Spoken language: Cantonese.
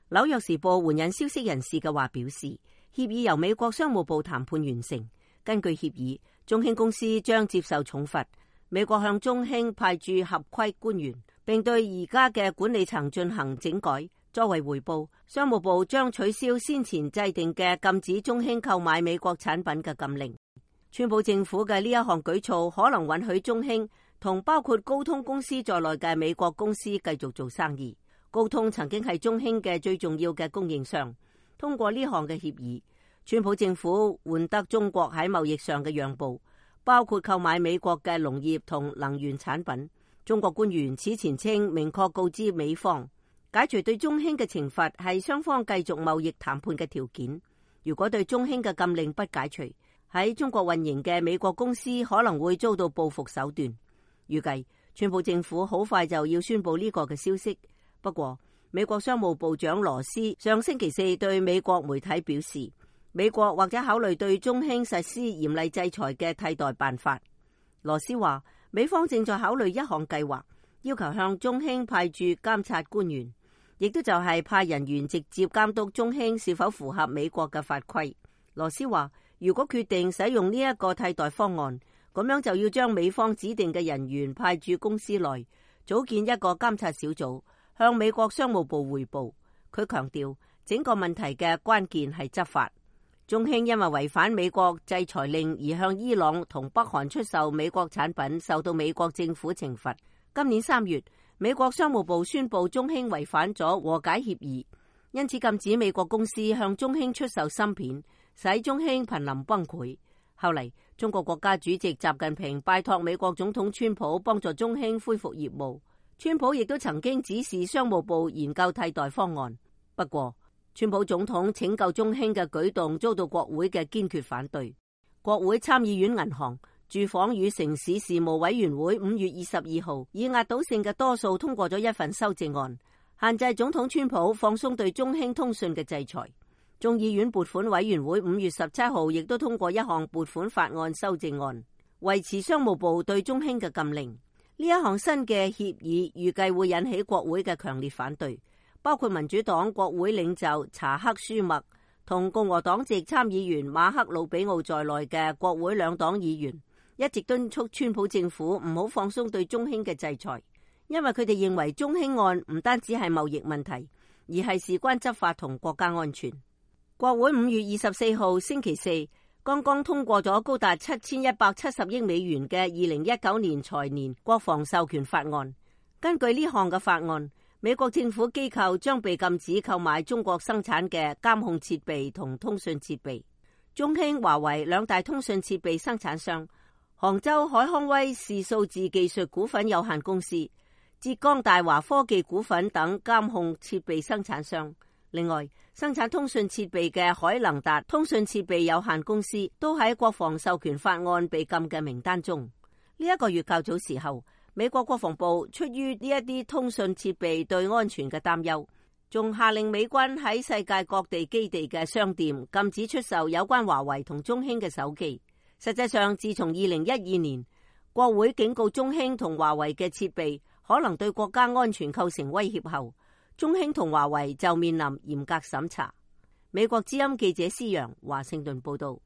紐約時報援引消息人士嘅話表示，協議由美國商務部談判完成。根據協議，中興公司將接受重罰。美國向中興派駐合規官員，並對而家嘅管理層進行整改。作為回報，商務部將取消先前制定嘅禁止中興購買美國產品嘅禁令。川普政府嘅呢一項舉措可能允許中興同包括高通公司在內嘅美國公司繼續做生意。高通曾經係中興嘅最重要嘅供應商。通過呢項嘅協議，川普政府換得中國喺貿易上嘅讓步，包括購買美國嘅農業同能源產品。中國官員此前稱明確告知美方，解除對中興嘅懲罰係雙方繼續貿易談判嘅條件。如果對中興嘅禁令不解除，喺中國運營嘅美國公司可能會遭到報復手段。預計川普政府好快就要宣布呢個嘅消息。不過，美國商務部長羅斯上星期四對美國媒體表示，美國或者考慮對中興實施嚴厲制裁嘅替代辦法。羅斯話，美方正在考慮一項計劃，要求向中興派駐監察官員，亦都就係派人員直接監督中興是否符合美國嘅法規。羅斯話，如果決定使用呢一個替代方案，咁樣就要將美方指定嘅人員派駐公司內，組建一個監察小組，向美國商務部匯報。佢強調，整個問題嘅關鍵係執法。中興因為違反美國制裁令而向伊朗同北韓出售美國產品，受到美國政府懲罰。今年3月，美國商務部宣布中興違反咗和解協議，因此禁止美國公司向中興出售芯片，使中興瀕臨崩潰。後嚟，中國國家主席習近平拜託美國總統川普幫助中興恢復業務。川普亦都曾經指示商務部研究替代方案。不過，川普總統拯救中興嘅舉動遭到國會嘅堅決反對。國會參議院銀行、住房與城市事務委員會5月22號以壓倒性嘅多數通過咗一份修正案，限制總統川普放鬆對中興通訊嘅制裁。眾議院撥款委員會5月17號亦都通過一項撥款法案修正案，維持商務部對中興嘅禁令。呢一項新嘅協議預計會引起國會嘅強烈反對，包括民主黨國會領袖查克舒默同共和黨籍參議員馬克魯比奧在內嘅國會兩黨議員，一直敦促川普政府唔好放鬆對中興嘅制裁，因為佢哋認為中興案唔單止係貿易問題，而係事關執法同國家安全。國會5月24號星期四剛剛通過咗高達7170億美元嘅2019年財年國防授權法案。根據呢項嘅法案，美國政府機構將被禁止購買中國生產嘅監控設備同通訊設備。中興、華為兩大通訊設備生產商，杭州海康威視數字技術股份有限公司、浙江大華科技股份等監控設備生產商。另外，生產通訊設備嘅海能達通訊設備有限公司都喺國防授權法案被禁嘅名單中。呢一個月較早時候，美國國防部出於呢一啲通訊設備對安全嘅擔憂，仲下令美軍喺世界各地基地嘅商店禁止出售有關華為同中興嘅手機。實際上，自從2012年國會警告中興同華為嘅設備可能對國家安全構成威脅後，中興同華為就面臨嚴格審查。美國之音記者施洋華盛頓報道。